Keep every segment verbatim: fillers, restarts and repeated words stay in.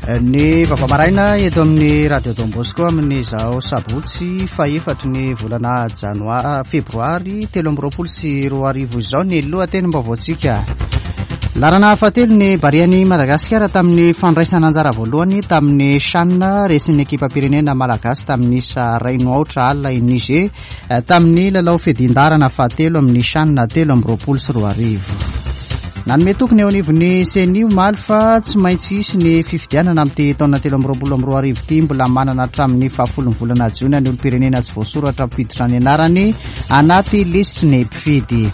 Ny vaovao maraina eto amin'ny Radio Don Bosco amin'izao sabotsy fahefatry ny volana janoary febroary telo amby roapolo sy roa arivo izao ny lohatenim-baovaontsika. Laharana fahatelo ny Barean'i Madagasikara tamin'ny fandraisana anjara voalohany tamin'ny CHAN, resin'ny ekipam-pirenena malagasy tamin'ny isa iray no aotra alina i Niger tamin'ny lalao fiadian-daharana fahatelo amin'ny CHAN telo amby roapolo sy roa arivo. Nanome toky ny eo anivon'ny CENI omaly fa tsy maintsy hisy ny fifidianana amin'ity taona telo amby roapolo amby roa arivo ity. Mbola manana hatramin'ny fahafolon'ny volana jona ny olom-pirenena tsy voasoratra hampiditra ny anarany anaty lisitry ny mpifidy.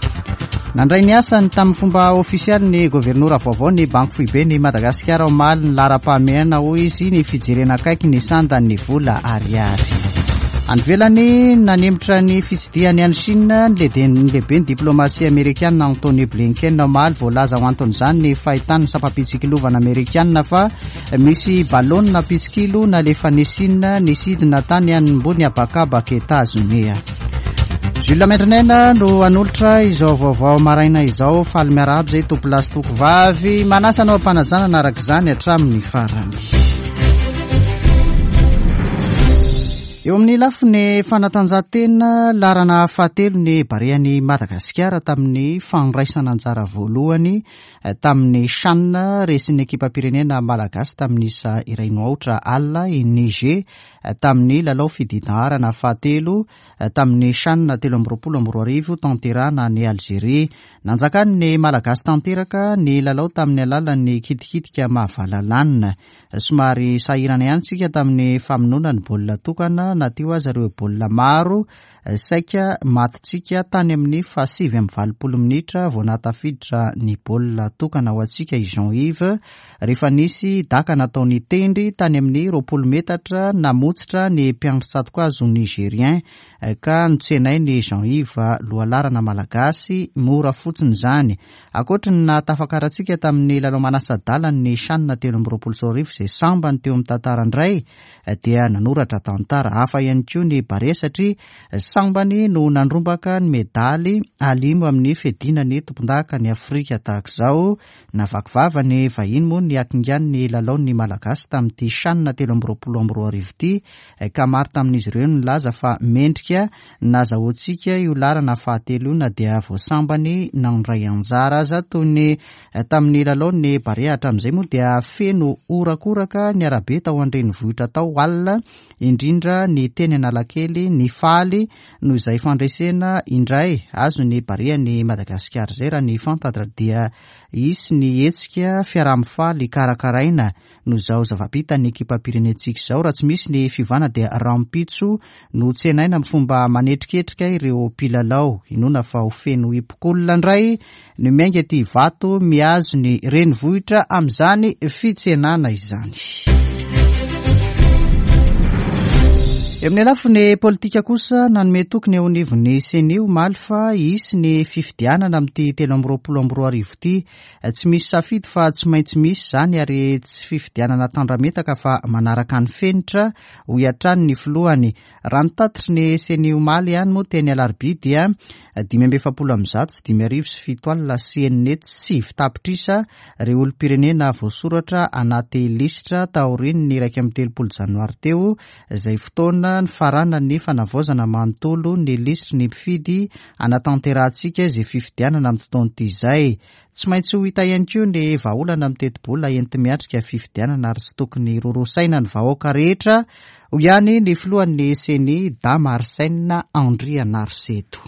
Nandray ny asany tamin'ny fomba ofisialy ny governora vaovao ny Banky Foibe ny Madagasikara omaly. Ny laharam-pahamehana, hoy izy, ny fijerena akaiky ny sandan'ny vola ariary. Any ivelany, nanemotra ny fitsidihany any Chine ny lehibe ny diplomasia amerikana Antony Blinken omaly. Voalaza ho anton'izany ny fahitan'ny sampam-pitsikilovana amerikana fa misy balonina mpitsikilo nalefan'i Chine nisidina tany ambony habakabaka Etazonia. Jules Mendrinaina no hanolotra izao vaovao maraina izao. Faly miarahaba izay tompolahy sy tompovavy, manasa anao am-panajanana araka izany hatramin'ny farany. Eo amin'ny lafiny fanatanjahantena, laharana fahatelo ny Barean'i Madagasikara tamin'ny fandraisana anjara voalohany tamin'ny CHAN, resin'ny ekipam-pirenena malagasy tamin'ny isa iray no aotra alina i Niger tamin'ny lalao fiadian-daharana fahatelo tamin'ny CHAN telo amby roapolo amby roa arivo tanterahana any Algeria. Nanjakan'ny malagasy tanteraka ny lalao tamin'ny alalan'ny kitikitika mahavalalana. Somary sahirana ihany tsika tamin'ny famonoana ny baolina tokana na teo aza ireo baolina maro saika matintsika tany amin'ny fahasivy amby valopolo minitra vao nahatafiditra ny baolina tokana ho antsika i Jean Yves rehefa nisy daka nataony tendry tany amin'ny roapolo metatra namotsitra ny mpiandry tsatokazo nigérien ka notsenainy Jean Yves, lohalarana malagasy, mora fotsiny izany. Ankoatra ny nahatafakarantsika tamin'ny lalao manasa-dalana ny CHAN telo amby roapolo sy roa arivo izay sambany teo amin'ny tantara indray, dia nanoratra tantara hafa ihany koa ny Barea satria sambany no nandrombaka ny medaly alimo amin'ny fiadiana ny tompondaka ny Afrika tahaka izao. Navaky vava ny vahiny moa ny hakingan'ny lalaon'ny malagasy tamin'ity CHAN telo amby roapolo amby roa arivo ity ka maro tamin'izy ireo no nilaza fa mendrika nazahoantsika io laharana fahatelo io na dia voasambany nandray anjara aza. Toy ny tamin'ny lalaon'ny Barea hatramin'izay moa dia feno horakoraka ny arabe tao an-drenivohitra tao alina, indrindra ny teny Analakely, ny faly noho izay fandresena indray azo ny Barea ny Madagasikara izay. Raha ny fantatra dia hisy ny hetsika fiaraha-mifaly karakaraina noho izao zava-bitan'ny ekipam-pirenentsika izao. Raha tsy misy ny fiovana dia rahampitso no tsenaina amin'ny fomba manetriketrika ireo mpilalao. Inoana fa ho feno hipokolona indray no miainga ety Ivato mihazo ny renivohitra amin'izany fitsenana izany. Eo amin'ny lafiny politika kosa, nanome toky ny eo anivon'ny CENI omaly fa hisy ny fifidianana amin'ity telo amby roapolo amby roa arivo ity. Tsy misy safidy fa tsy maintsy misy izany ary tsy fifidianana tandrametaka fa manaraka ny fenitra, hoy hatrany ny filohany. Raha ny tatitry ny CENI omaly ihany moa teny Alarobia dia dimy amby efapolo amby zato sy dimy arivo sy fito alina sy enina hetsy sivy tapitrisa ireo olom-pirenena voasoratra anaty lisitra taorian'ny iraika amby telopolo janoary teo, izay fotoana nifaranan'ny fanavaozana manontolo ny lisitry ny mpifidy hanatanterahantsika izay fifidianana amin'ity taona ity izay. Tsy maintsy ho hita ihany koa ny vahaolana amin'ny tetibola enti-miatrika fifidianana ary tsy tokony hirorosaina ny vahoaka rehetra, hoy ihany ny filohan'ny CENI Dama Arsène Andrianariseto.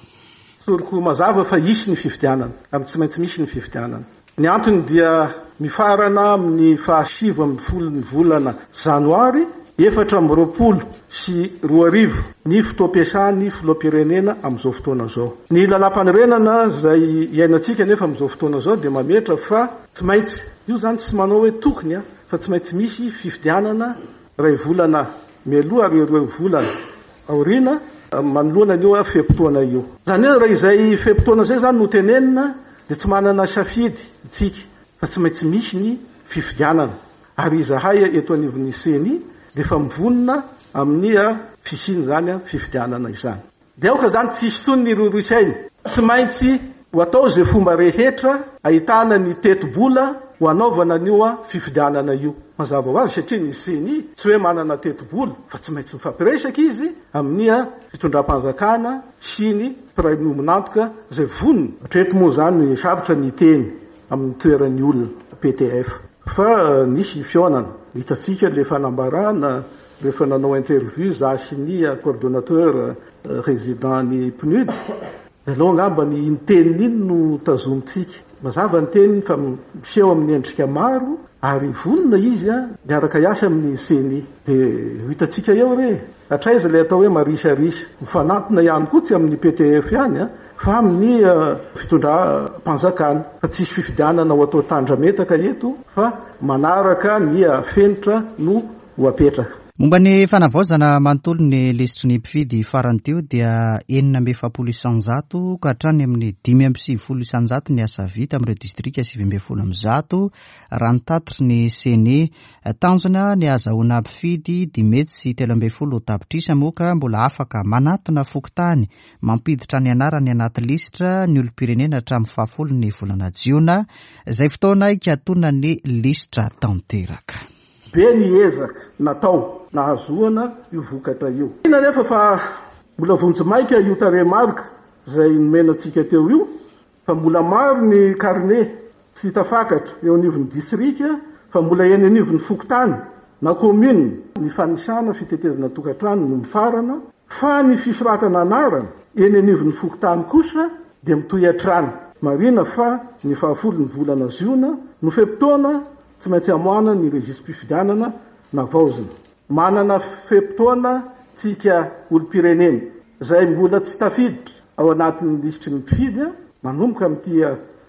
Tsoriko mazava fa hisy ny fifidianana ary tsy maintsy misy ny fifidianana. Ny antony dia mifarana amin'ny fahasivy ambin'ny folon'ny volana janoary efatra amby roapolo sy roa arivo ny fotoam-piasan'ny filoham-pirenena amin'izao fotoana izao. Ny lalàm-panorenana izay iainantsika nefa amin'izao fotoana izao dia mametra fa tsy maintsy, io izany tsy manao hoe tokony fa tsy maintsy misy fifidianana iray volana mialoha ary roa volana aoriana manoloana an'io fe-potoana io. Izany hoe raha izay fe-potoana izay izany no tenenina dia tsy manana safidy isika fa tsy maintsy misy ny fifidianana. Ary izahay eto anivon'ny CENI dia efa mivonona amin'ny fisian'izany fifidianana izany. Dia aoka izany tsy hisy intsony ny rorosaina. Tsy maintsy ho atao izay fomba rehetra ahitana ny tetibola ho anaovana an'io fifidianana io. Mazava ho azy satria ny CENI tsy hoe manana tetibola fa tsy maintsy mifampiresaka izy amin'ny fitondram-panjakana sy ny mpiray miombon'antoka izay vonona. Hatreto moa izany sarotra ny teny amin'ny toeran'ny olona P T F fa nisy fihaonana. Hitantsika ilay fanambarana rehefa nanao interview za sy ny coordonnateur résident ny P N U D. Aleo angamba ny iny teniny iny no tazomintsika. Mazava ny teniny fa miseho amin'ny endrika maro ary vonona izy a miaraka hiasa amin'ny CENI. Dia ho hitantsika eo re. Hatraiza ilay atao hoe marisarisa. Mifanantona ihany koa tsy amin'ny P T F ihany a, fa amin'ny fitondram-panjakana. Fa tsisy fifidianana ho atao tandrametaka eto fa manaraka ny fenitra no ho apetraka. Momba ny fanavaozana manontolo ny lisitry ny mpifidy farany teo dia enina amby efapolo isanjato ka hatrany amin'ny dimy amby sivifolo isanjato ny asa vita amin'ireo distrika sivy ambin'ny folo amby zato raha ny tatitry ny CENI. Tanjona ny ahazahoana mpifidy dimy hetsy sy telo ambin'ny folo tapitrisa moa ka mbola afaka manatona fokontany mampiditra ny anarany anaty lisitra ny olom-pirenena hatramin'ny fahafolo ny volana jiona, izay fotoana hikatonan'ny lisitra tanteraka. Be ny ezaka natao nahazoana io vokatra io. Inona nefa fa mbola vonjimaika io tarehimarika izay nomenantsika teo io, fa mbola maro ny carnet tsy tafakatra eo anivon'ny distrika, fa mbola eny anivon'ny fokontany na commune ny fanisana fitetezana tokantrano no mifarana, fa ny fisoratana anarana eny anivon'ny fokontany kosa dia mitohy hatrany. Marina fa ny fahafolo ny volana ziona no fe-potoana tsy maintsy amoahana ny rejistra-pifidianana navaozina. Manana fe-potoana tsika olom-pirenena izay mbola tsy tafiditra ao anatin'ny lisitry ny mpifidy manomboka amin'ity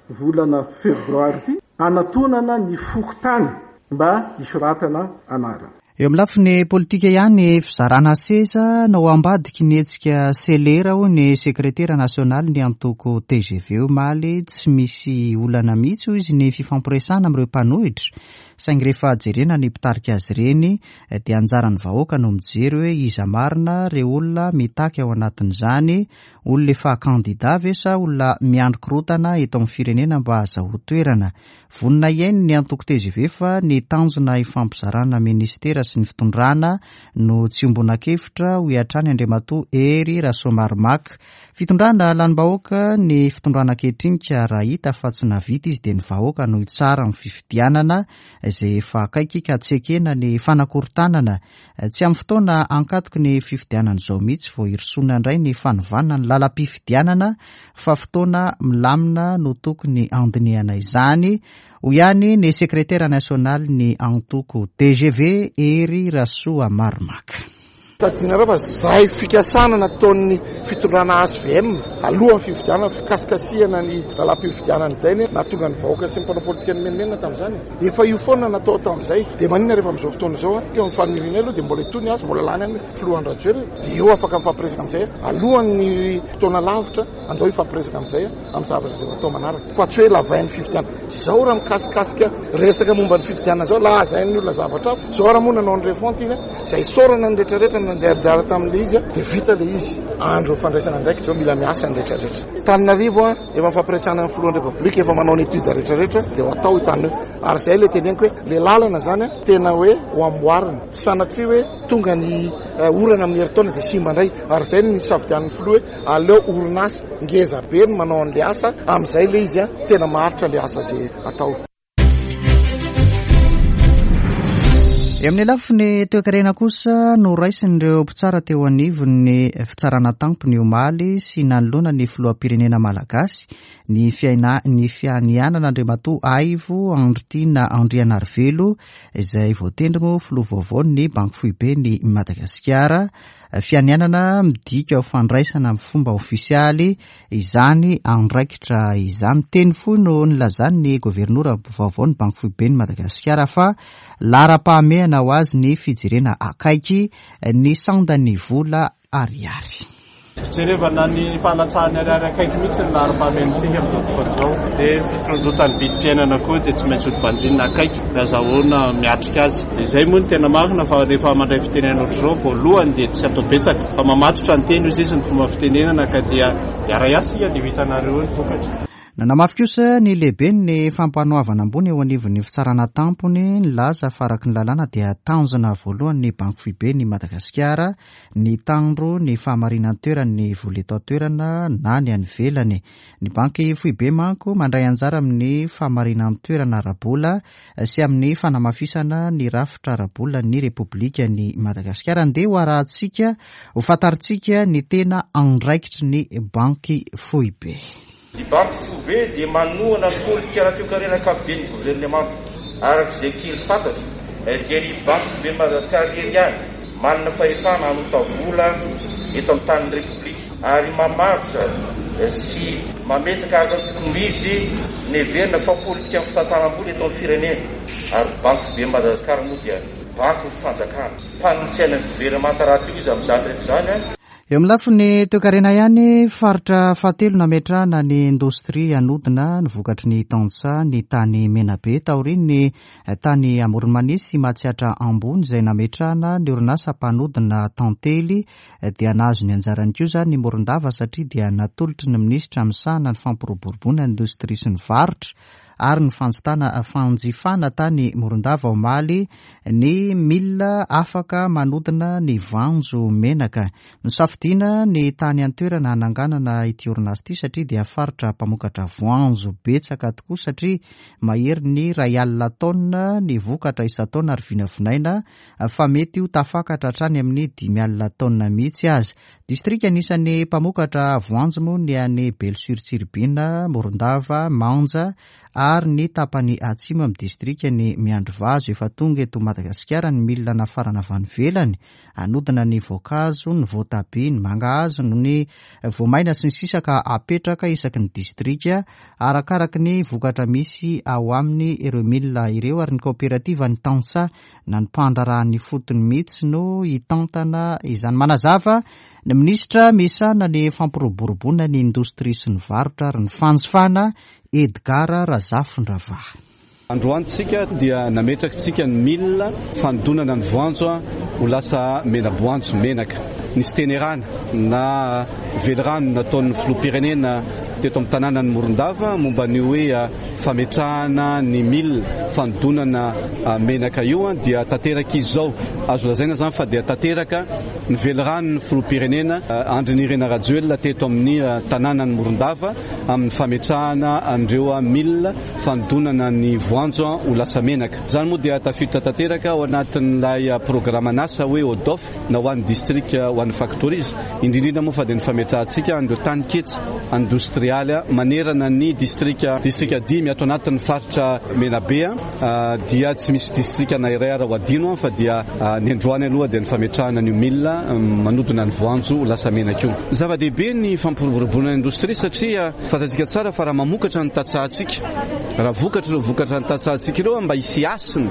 volana febroary ity anatonana ny fokontany mba hisoratana anarana. Eo amin'ny lafiny politika ihany, fizarana seza no ambadiky ny hetsika Selera hoy ny sekretera nasionaly ny antoko T G V omaly. Tsy misy olana mihitsy hoy izy ny fifampiresahana amin'ireo mpanohitra, saingy rehefa jerena ny mpitarika azy ireny dia anjaran'ny vahoaka no mijery hoe iza marina ireo olona mitaky ao anatin'izany, olona efa kandida ve sa olona miandry korotana eto amin'ny firenena mba hahazahoa toerana. Vonona hiaino ny antoko T G V fa ny tanjona ifampizarana ministera sy ny fitondrana no tsy ombonakevitra hoy hatrany Andriamatoa Hery Rasoamaromaka. Fitondrana lanim-bahoaka ny fitondrana ankehitriny ka raha hita fa tsy nahavita izy dia ny vahoaka no hitsara amin'ny fifidianana izay efa akaiky ka tsy ekena ny fanakorontanana. Tsy amin'ny fotoana ankatoky ny fifidianana izao mihitsy vao hirosoana indray ny fanovana ny lalam-pifidianana fa fotoana milamina no tokony handinihana izany, hoy ihany ny sekretera nasionaly ny antoko T G V Hery Rasoamaromaka. Tadidinareo fa zay fikasana nataon'ny fitondrana H V M alohan'ny fifidianana, fikasikasihana ny lalam-pifidianana izay ny nahatonga ny vahoaka sy ny mpanao politika nimenomenona tamin'izany. Efa io foana natao tamin'izay. Dia maninona rehefa amin'izao fotoana izao, teo amin'ny faniriana aloha dia mbola itony azy, mbola lany any filoha Rajoelina. Dia eo afaka mifampiresaka amin'izay alohan'ny fotoana lavitra, andao hifampiresaka amin'izay amin'ny zavatra izay atao manaraka. Fa tsy hoe lavain'ny fifidianana. Izao raha mikasikasika resaka momba ny fifidianana izao, lazain'ny olona zavatra hafa. Izao raha moa nanao ny refonte iny, izay isaorana ny rehetrarehetra nanjary tamin'ilay izy, dia vita ilay izy. Andro fandraisana andraikitra izao, mila miasa ny rehetrarehetra. Tananarivo a, efa mifampiresahana amin'ny filohan'ny Repoblika, efa manao ny étude rehetrarehetra, dia ho atao io tany io. Ary izay ilay teneniko hoe ilay lalana izany a, tena hoe ho amboarina. Tsy sanatria hoe tonga ny orana amin'ny herintaona dia simba indray. Ary izay no nisafidian'ny filoha hoe aleo orinasa ngeza be no manao an'ilay asa, amin'izay ilay izy a, tena maharitra ilay asa izay atao. Eo amin'ny lafiny toekarena kosa no raisin'ireo mpitsara teo anivon'ny fitsarana tampony omaly sy nanoloana ny filoham-pirenena malagasy ny fiaina-, ny fianianana Andriamatoa Aivo Andriatiana Andrianarivelo izay voatendry moa filoha vaovao ny Banky Foiben'i Madagasikara. Fianianana midika ho fandraisana amin'ny fomba ofisialy izany andraikitra izany. Teny fohy no nilazan'ny governora vaovao ny Banky Foiben'i Madagasikara fa laharam-pahamehana ho azy ny fijerena akaiky ny sandan'ny vola ariary. Fijerevana ny fahalatsahan'ny ariary akaiky mihitsy ny laharam-pahamehantsika amin'izao fotoana izao. Dia fitondrotan'ny vidim-piainana koa dia tsy maintsy hobanjinina akaiky mba azahoana miatrika azy. Izay moa no tena marina fa rehefa mandray fitenenana ohatr'izao voalohany dia tsy atao betsaka fa mamatotra ny teny hoy izy ny fomba fitenenana ka dia hiara-hiasa isika dia ho hitanareo eo ny vokatra. Nanamafy kosa ny lehiben'ny fampanoavana ambony eo anivon'ny fitsarana tampony nilaza fa araka ny lalàna dia tanjona voalohany ny Banky Foiben'i Madagasikara ny tandro ny fahamarinan-toeran'ny vola eto an-toerana na ny any ivelany. Ny Banky Foibe manko mandray anjara amin'ny fahamarinan-toerana ara-bola sy amin'ny fanamafisana ny rafitra ara-bola ny Repoblikan'i Madagasikara. Andeha ho arahantsika ho fantarintsika ny tena andraikitry ny Banky Foibe. Ny Banky Foibe dia manohana ny politika ara-toekarena ankapoben'ny governemanta. Araka izay kely fantatra dia ny Banky Foiben'i Madagasikara irery ihany manana fahefana hanota vola eto amin'ny tanin'ny Repoblika ary mamaritra sy mametraka araka ny tokony ho izy ny heverina fa politika amin'ny fitantanam-bola eto amin'ny firenena. Ary Banky Foiben'i Madagasikara moa dia banky ny fanjakana. Mpanolotsaina ny governemanta rahateo izy amin'izany rehetra izany. Eo amin'ny lafiny toekarena ihany, faritra fahatelo nametrahana ny indostria hanodina ny vokatry ny tantsaha ny tany Menabe taorian'ny tany Amoron'i Mania sy Matsiatra Ambony izay nametrahana ny orinasa mpanodina tantely dia nahazo ny anjarany koa izany ny Morondava satria dia natolotry ny minisitra misahana ny fampiroboroboana ny indostria sy ny varotra ary ny fanjitana fanjifana tany Morondava omaly ny milina afaka manodina ny voanjo menaka. Nosafidiana ny tany an-toerana hananganana ity orinasa ity satria dia faritra mpamokatra voanjo betsaka tokoa satria mahery ny iray alina taonina ny vokatra isan-taona ary vinavinaina fa mety ho tafakatra hatrany amin'ny dimy alina taonina mihitsy aza. Distrika anisan'ny mpamokatra voanjo moa ny any Belo sur Tsiribihina, Morondava, Manja ary ny tapany atsimo amin'ny distrika ny Miandrivazo. Efa tonga eto Madagasikara ny milina nafarana avy any ivelany hanodina ny voankazo, ny voatabia, ny mangahazo, ny voamaina sy ny sisa ka apetraka isaky ny distrika arakaraky ny vokatra misy ao aminy ireo milina ireo ary ny kaoperativa ny tantsaha na ny mpandraharaha ny fotony mihitsy no hitantana izany. Manazava ny minisitra misahana ny fampiroboroboana ny indostria sy ny varotra ary ny fanjifana Edgar Razafindravahy. Androany tsika dia nametrakantsika ny milina fanodinana ny voanjo ho lasa mena-boanjo menaka. Nisy tenerana na velirano nataon'ny filoham-pirenena teto amin'ny tanànan'i Morondava momba ny hoe fametrahana ny milina fanodinana menaka io dia tanteraka izy izao. Azo lazaina izany fa dia tanteraka ny veliranon'ny filoham-pirenena Andry Nirina Rajoelina teto amin'ny tanànan'i Morondava amin'ny fametrahana an'ireo milina fanodinana ny voanjo ho lasa menaka. Izany moa dia tafiditra tanteraka ao anatin'ilay programan'asa hoe ODOF na ho an'ny distrika ho an'ny factories. Indrindra moa fa dia ny fametrahantsika an'ireo taninketsa industrialy manerana ny distrika distrika dimy ato anatin'ny faritra Menabe dia tsy misy distrika na iray ara ho adino fa dia ny androany aloha dia ny fametrahana ny milina manodina ny voanjo ho lasa menaka io. Zava-dehibe ny fampiroboroboana ny indostria satria fantatsika tsara fa raha mamokatra ny tantsahantsika, raha vokatra ireo vokatra ny tantsahantsika ireo mba hisy hasiny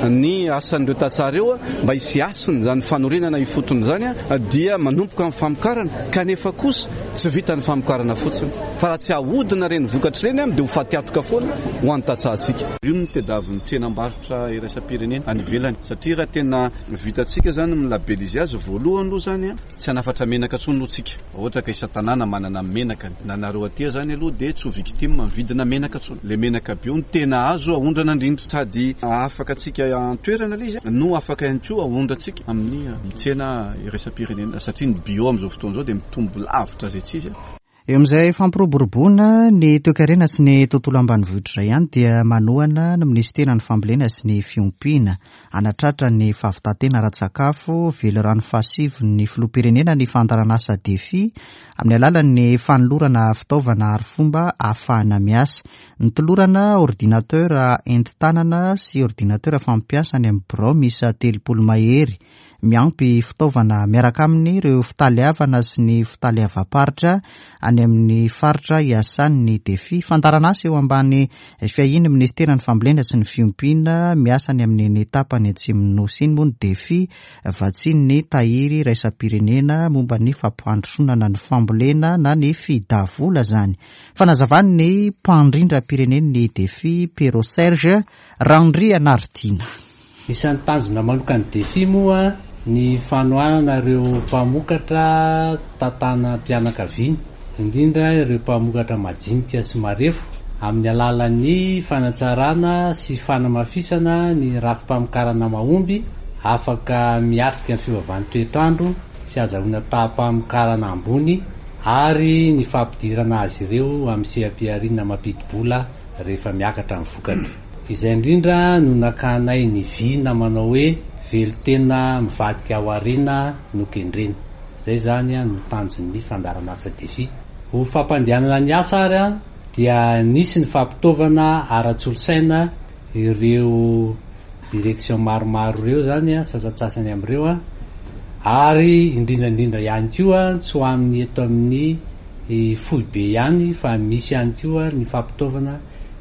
ny asan'ireo tantsaha ireo, mba hisy hasiny izany fanorenana ifotony izany dia manomboka amin'ny famokarana, kanefa kosa tsy vita ny famokarana fotsiny fa raha tsy ahodina ireny vokatra ireny dia ho fatiantoka foana ho an'ny tantsahantsika. Io no tadiavin'ny tsenam-barotra iraisam-pirenena any ivelany satria raha tena vitantsika izany milabelizy azy voalohany aloha izany tsy hanafatra menaka intsony aloha tsika. Ohatra ka isan-tanàna manana menaka na nareo aty izany aloha dia tsy ho victime mividina menaka intsony. Le menaka bio no tena azo aondrana indrindra sady afaka antsika an-toerana ilay izy no afaka ihany koa aondrantsika amin'ny tsena iraisam-pirenena satria ny bio amin'izao fotoana izao dia mitombo lavitra izay tsy izy. Eo amin'izay fampiroboroboana ny toekarena sy ny tontolo ambanivohitra izay ihany dia manohana ny minisiteran'ny fambolena sy ny fiompiana hanatratra ny fahavitan-tena ara-tsakafo. Velirano fahasivy ny filoham-pirenena ny fandaharanasa DEFI amin'ny alalan'ny fanolorana fitaovana ary fomba ahafahana miasa. Ny tolorana ordinateur entin-tanana sy ordinateur fampiasa any amin'ny birao miisa telopolo mahery miampy fitaovana miaraka aminy ireo fitaleavana sy ny fitaleavam-paritra any amin'ny faritra iasan'ny DEFI. Fandaharanasa eo ambany fiahian'ny minisiteran'ny fambolena sy ny fiompiana miasa any amin'ny tapany atsimon'ny Nosy iny moa ny DEFI vatsian'ny tahiry iraisam-pirenena momba ny fampandrosoana ny fambolena na ny fidavola izany. Fanazavan'ny mpandrindram-pirenen'ny DEFI Pero Serge Randrianaritiana. Isan'ny tanjona manokan'ny DEFI moa ny fanohanana ireo mpamokatra tantanam-pianakaviana, indrindra ireo mpamokatra majinika sy marefo amin'ny alalan'ny fanatsarana sy fanamafisana ny rafi-pamokarana mahomby afaka miatrika ny fiovan'ny toetrandro sy azahoana taham-pamokarana ambony ary ny fampidirana azy ireo amin'ny seha-pihariana mampidi-bola rehefa miakatra ny vokatra. Izay indrindra no nakanay ny vina manao hoe velon-tena mivadika ho harena no kendrena. Izay zany no tanjon'ny fandaharanasa DEFI. Ho fampandehanana ny asa ary a dia nisy ny fampitaovana ara-tsolosaina ireo direction maromaro ireo zany a sasantsasany amin'ireo a ary indrindra indrindra ihany koa tsy ho amin'ny eto amin'ny foibe ihany fa misy ihany koa ny fampitaovana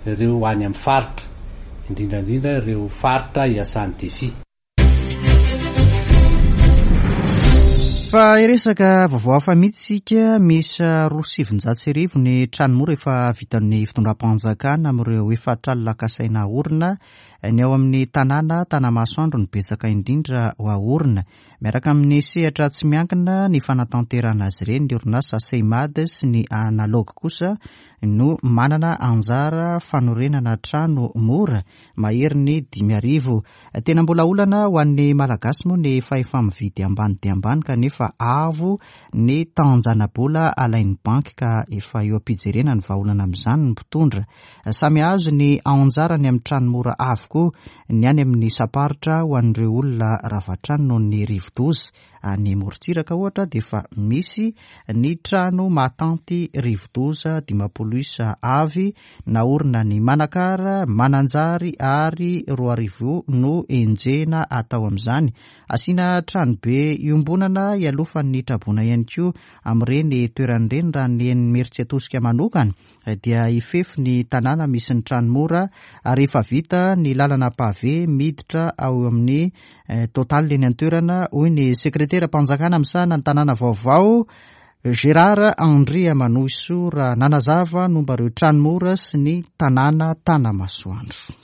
ireo any amin'ny faritra, indrindra indrindra ireo faritra iasan'ny DEFI. Fa hiresaka vaovao hafa mihitsy isika. Misy roa sy sivinjato sy arivo ny trano mora efa vitan'ny fitondram-panjakana amin'ireo efatra alina kasaina haorina. Ny ao amin'ny tanàna Tanamasoandro no betsaka indrindra ho haorina. Miaraka amin'ny sehatra tsy miankina ny fanatanterahana azy ireny, ny orinasa Seimad sy ny Analog kosa no manana anjara fanorenana trano mora mahery ny dimy arivo. Tena mbola olana ho an'ny Malagasy moa ny fahefa-mividy ambany dia ambany kanefa avo ny tanjana-bola alain'ny banky ka efa eo am-pijerena ny vahaolana amin'izany ny mpitondra. Samy azo ny anjarany amin'ny trano mora avokoa ny any amin'ny saparitra ho an'ireo olona rava trano noho ny rivodoza. Any Morontsiraka ohatra dia efa misy ny trano mahatanty rivodoza dimampolo isa avy naorina ny Manakara, Mananjary ary roa arivo no enjehina atao amin'izany. Asiana trano be iombonana ialofan'ny traboina ihany koa amin'ireny toerana ireny. Raha ny eny Imerintsiatosika manokana dia hifefy ny tanàna misy ny trano mora ary efa vita ny lalana pavé miditra ao amin'ny Total eny an-toerana, hoy ny sekreteram-panjakana misahana ny tanàna vaovao Gérard Andriamanohisoa raha nanazava momba ireo trano mora sy ny tanàna Tanamasoandro.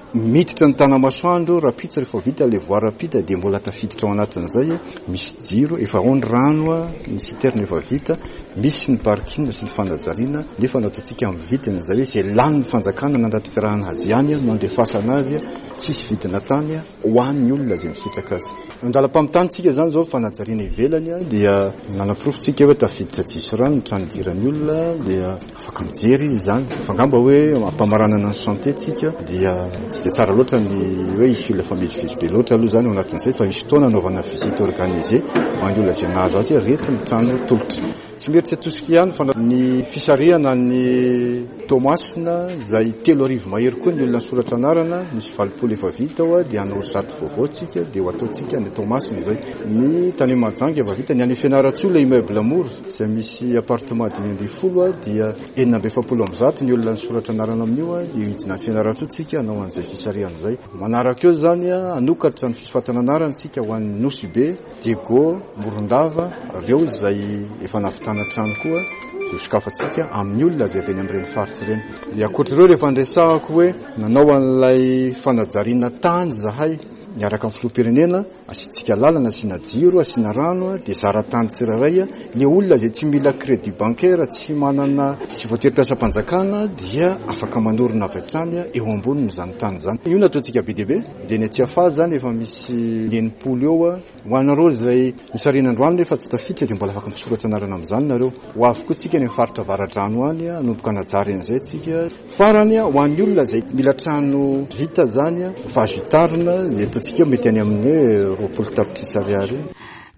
Miditra ny Tanamasoandro rahampitso rehefa vita ilay voie rapide dia mbola tafiditra ao anatin'izay, misy jiro, efa ao ny rano, ny citerne efa vita, misy ny parking sy ny fanajariana, nefa nataontsika amin'ny vidiny izay hoe izay lanin'ny fanjakana nanatanterahana azy ihany no andefasana azy, tsisy vidina tany ho an'ny olona izay misitraka azy. Andalam-pamitana tsika izany izao fanajariana ivelany dia nanaporofo-tsika hoe tafiditra tsisy rano ny trano idiran'ny olona dia afaka mijery izy izany. Fa angamba hoe ampamaranana ny chantier tsika dia tsy dia tsara loatra ny hoe hisy olona mifamezivezy be loatra aloha izany ao anatin'izay, fa misy fotoana anaovana visite organisée ho an'ny olona izay nahazo azy hoe reto ny trano tolotra. Tsy Imerintsiatosika ihany fa ny fisarihana ny Toamasina izay telo arivo mahery koa ny olona nisoratra anarana, misy valopolo efa vita ao dia hanao zato vaovao tsika dia ho ataontsika ny Toamasina izay. Ny tany Mahajanga efa vita, ny any Fianarantsoa ilay immeuble mora izay misy appartement dimy ambin'ny folo dia enina amby efapolo amby zato ny olona nisoratra anarana amin'io dia hidina any Fianarantsoa tsika hanao an'izay fisarihana izay. Manaraka eo izany hanokatra ny fisoratana anarana tsika ho an'ny Nosy Be, Diego, Morondava, ireo izay efa nahavitana trano koa dia sokafantsika amin'ny olona izay avy any amin'ireny faritra ireny. Dia ankoatra ireo rehefa niresahako hoe nanao an'ilay fanajariana tany zahay miaraka amin'ny filoham-pirenena, asiantsika lalana, asiana jiro, asiana rano, dia zara-tany tsirairay. Ilay olona izay tsy mila crédit bancaire, tsy manana, tsy voatery mpiasam-panjakana dia afaka manorina avy hatrany eo ambonin'izany tany izany. Io nataontsika be dia be, dia ny aty afaha izany efa misy enimpolo eo. Ho anareo izay nisarihana androany nefa tsy tafiditra dia mbola afaka misoratra anarana amin'izany nareo. Ho avy koa tsika any amin'ny faritra Avaradrano any, hanomboka hanajary an'izay tsika. Farany, ho an'ny olona izay mila trano vita izany, fa azo hitarina, izay ataontsika mety any amin'ny hoe roapolo tapitrisa ariary.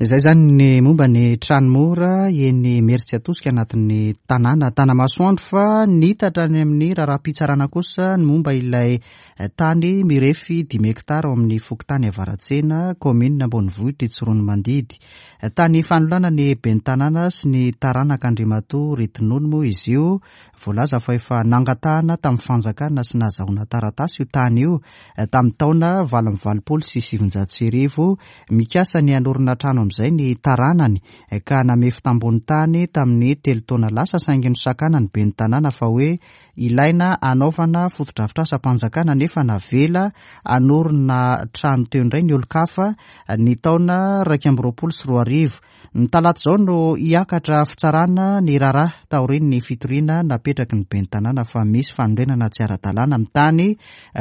Izay izany ny momba ny trano mora eny Imerintsiatosika anatin'ny tanàna Tanamasoandro, fa nitatra any amin'ny raharaham-pitsarana kosa ny momba ilay tany mirefy dimy hektara ao amin'ny fokontany Avaratsena, kaominina ambonivohitra Tsiroanomandidy. Tany fanolana ny ben'ny tanàna sy ny taranaka Andriamatoa Retinono moa izy io. Voalaza fa efa nangatahana tamin'ny fanjakana sy nahazahoana taratasy io tany io tamin'ny taona valo amby valopolo sy sivinjato sy arivo. Mikasa ny hanorina trano amin'izay ny taranany ka namefy tambony tany tamin'ny telo taona lasa, saingy nosakana ny ben'ny tanàna fa hoe ilaina hanaovana fotodrafitrasam-panjakana, nefa navela hanorina trano teo indray ny olon-kafa ny taona iraika amby roapolo sy roa arivo. Ny talata izao no hiakatra fitsarana ny raharaha taorian'ny fitoriana napetraky ny ben'ny tanàna fa misy fanorenana tsy ara-dalàna amin'ny tany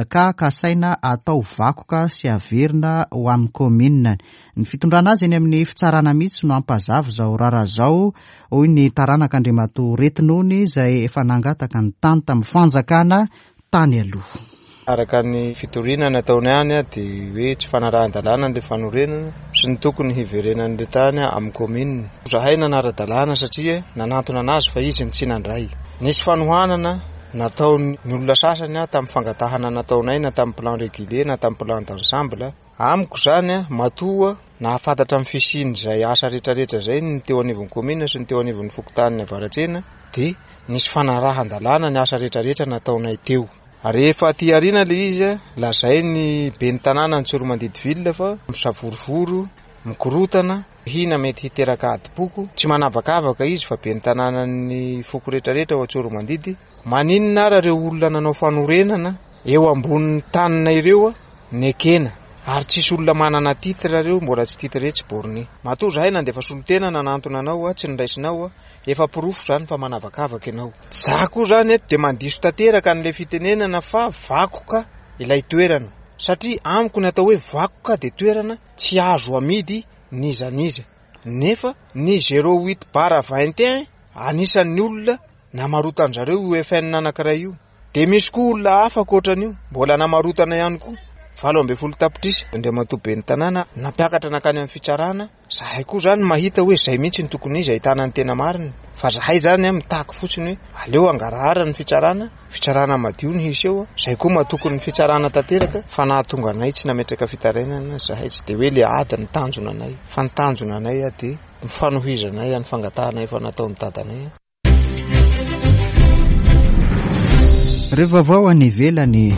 ka kasaina atao vakoka sy averina ho amin'ny kaominina. Ny fitondrana azy eny amin'ny fitsarana mihitsy no hampazava izao raharaha izao, hoy ny taranaka Andriamatoa Retinony izay efa nangataka ny tany tamin'ny fanjakana tany aloha. Araka ny fitoriana nataony any dia hoe tsy fanarahan-dalàna ilay fanorenana sy ny tokony hiverenan'ilay tany amin'ny kaominina. Zahay nanara-dalàna satria nanantona anazy fa izy no tsy nandray. Nisy fanohanana nataon'ny olona sasany tamin'ny fangatahana nataonay na tamin'ny plan régulier na tamin'ny plan d'ensemble. Amiko izany matoa nahafantatra amin'ny fisian'izay asa rehetrarehetra izay ny teo anivon'ny kaominina sy ny teo anivon'ny fokontanin'ny Avaratsena dia nisy fanarahan-dalàna ny asa rehetrarehetra nataonay teo. Rehefa aty aoriana ilay izy, lazain'ny ben'ny tanàna Antsoromandidy ville fa misavorovoro, mikorotana, hina mety hiteraka adim-poko. Tsy manavakavaka izy fa ben'ny tanànan'ny foko rehetrarehetra ao Antsoromandidy. Maninona ary ireo olona nanao fanorenana eo ambonin'ny tanina ireo nekena? Ary tsisy olona manana titre ireo, mbola tsy titre tsy borné. Matoa zahay nandefa solontena nanantona anao, tsy niraisinao, efa porofo izany fa manavakavaka ianao. Za koa izany eto dia mandiso tanteraka an'ilay fitenenana fa vakoka ilay toerana. Satria amiko ny atao hoe vakoka dia toerana tsy azo amidy n'iza n'iza. Nefa ny zéro huit barre vingt et un anisan'ny olona namarotan-jareo io F N anankiray io. Dia misy koa olona hafa ankoatran'io mbola namarotana ihany koa. Valo ambin'ny folo tapitrisa Andriamatoa ben'ny tanàna nampiakatra nankany amin'ny fitsarana. Zahay koa izany mahita hoe izay mihitsy ny tokony izy ahitana ny tena marina. Fa zahay izany mitaky fotsiny hoe aleo hangarahara ny fitsarana, fitsarana madio ny hisy eo. Zahay koa matoky ny fitsarana tanteraka fa nahatonga anay tsy nametraka fitarainana. Zahay tsy dia hoe le ady ny tanjona anay, fa ny tanjona anay dia ny fanohizanay ny fangatahana efa nataon'ny dadanay. Ireo vaovao any ivelany.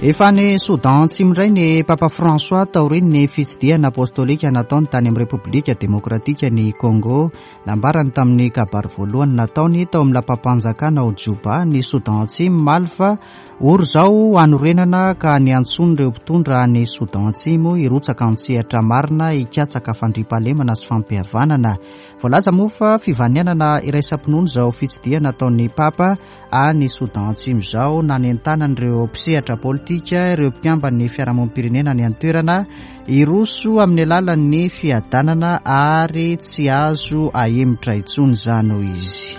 Efa any Soudan Atsimo indray ny Papa François taorian'ny fitsidihana apostolika nataony tany amin'ny Repoblika Demokratika ny Congo. Nambarany tamin'ny kabary voalohany nataony tao amin'ny lapam-panjakana ao Juba ny Soudan Atsimo omaly fa ory izao hanorenana ka niantsoan'ireo mpitondra any Soudan Atsimo hirotsaka an-tsehatra marina hikatsaka fandriampahalemana sy fampihavanana. Voalaza moa fa fivanianana iraisam-pinoana izao fitsidihana nataon'ny Papa any Soudan Atsimo izao nanentanan'ireo mpisehatra politika, ireo mpikamban'ny fiarahamonim-pirenena any an-toerana hiroso amin'ny alalan'ny fiadanana ary tsy azo ahemotra intsony izany hoy izy.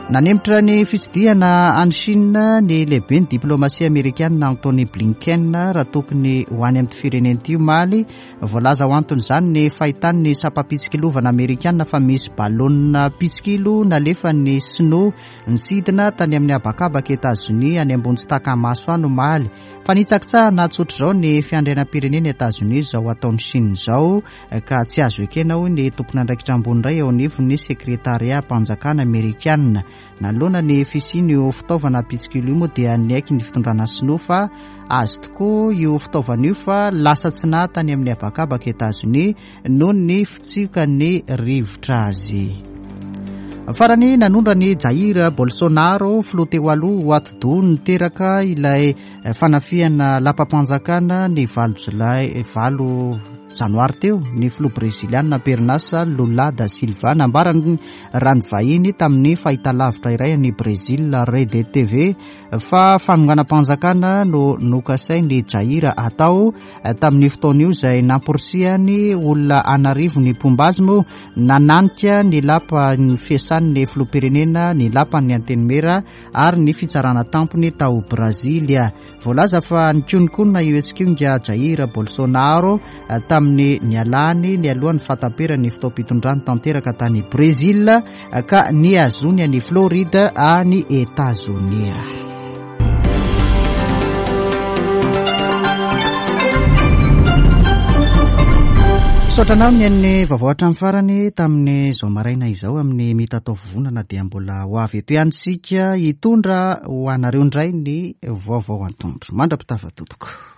Nanemitra ny fitsidihana any Chine ny lehiben'ny diplomasia amerikana Antony Blinken raha tokony ho any amin'ny firenena ity omaly. Voalaza ho anton'izany ny fahitan'ny sampam-pitsikilovana amerikana fa misy balonina mpitsikilo nalefan'ny sinoa nisidina tany amin'ny habakabaka Etazonia any ambony tsy taka-maso any omaly. Fanitsakitsahana tsotra izao ny fiandrianam-pirenena Etazonia izao ataon'ny Chine izao ka tsy azo ekena hoy ny tompon'andraikitra ambony iray eo anivon'ny sekretariam-panjakana amerikana. Nanoloana ny fisian'io fitaovana mpitsikilo io moa dia niaiky ny fitondrana sinoa fa azy tokoa io fitaovana io fa lasa tsy naha tany amin'ny habakabaka Etazonia noho ny fitsiokan'ny rivotra azy. Farany nanondra ny Jair Bolsonaro filoha teo aloha ho atidoha niteraka ilay fanafihana lapam-panjakana ny valo jolay valo janoary teo ny filoha breziliana Pernasa Lula da Silva. Nambarany raha ny vahiny tamin'ny fahitalavitra iray any Brezil Rede T V fa fanonganam-panjakana no nokasain'i Jair atao tamin'ny fotoana io izay namporisihany olona an'arivo ny mpomba azy moa nananika ny lapan'ny fiasan'ny filoham-pirenena, ny lapan'ny antenimiera ary ny fitsarana tampony tao Brasilia. Voalaza fa nikononkonona io hetsika io nga Jair Bolsonaro tamin'ny nialany nialohan'ny fahataperan'ny fotoam-pitondrany tanteraka tany Brezil ka nihazony any Floride any Etazonia. Misaotra anao ny an'ny vaovao hatramin'ny farany tamin'izao maraina izao amin'ny mitatao vovonana dia mbola ho avy eto ihany isika hitondra ho anareo indray ny vaovao antoandro. Mandra-pitava tompoko.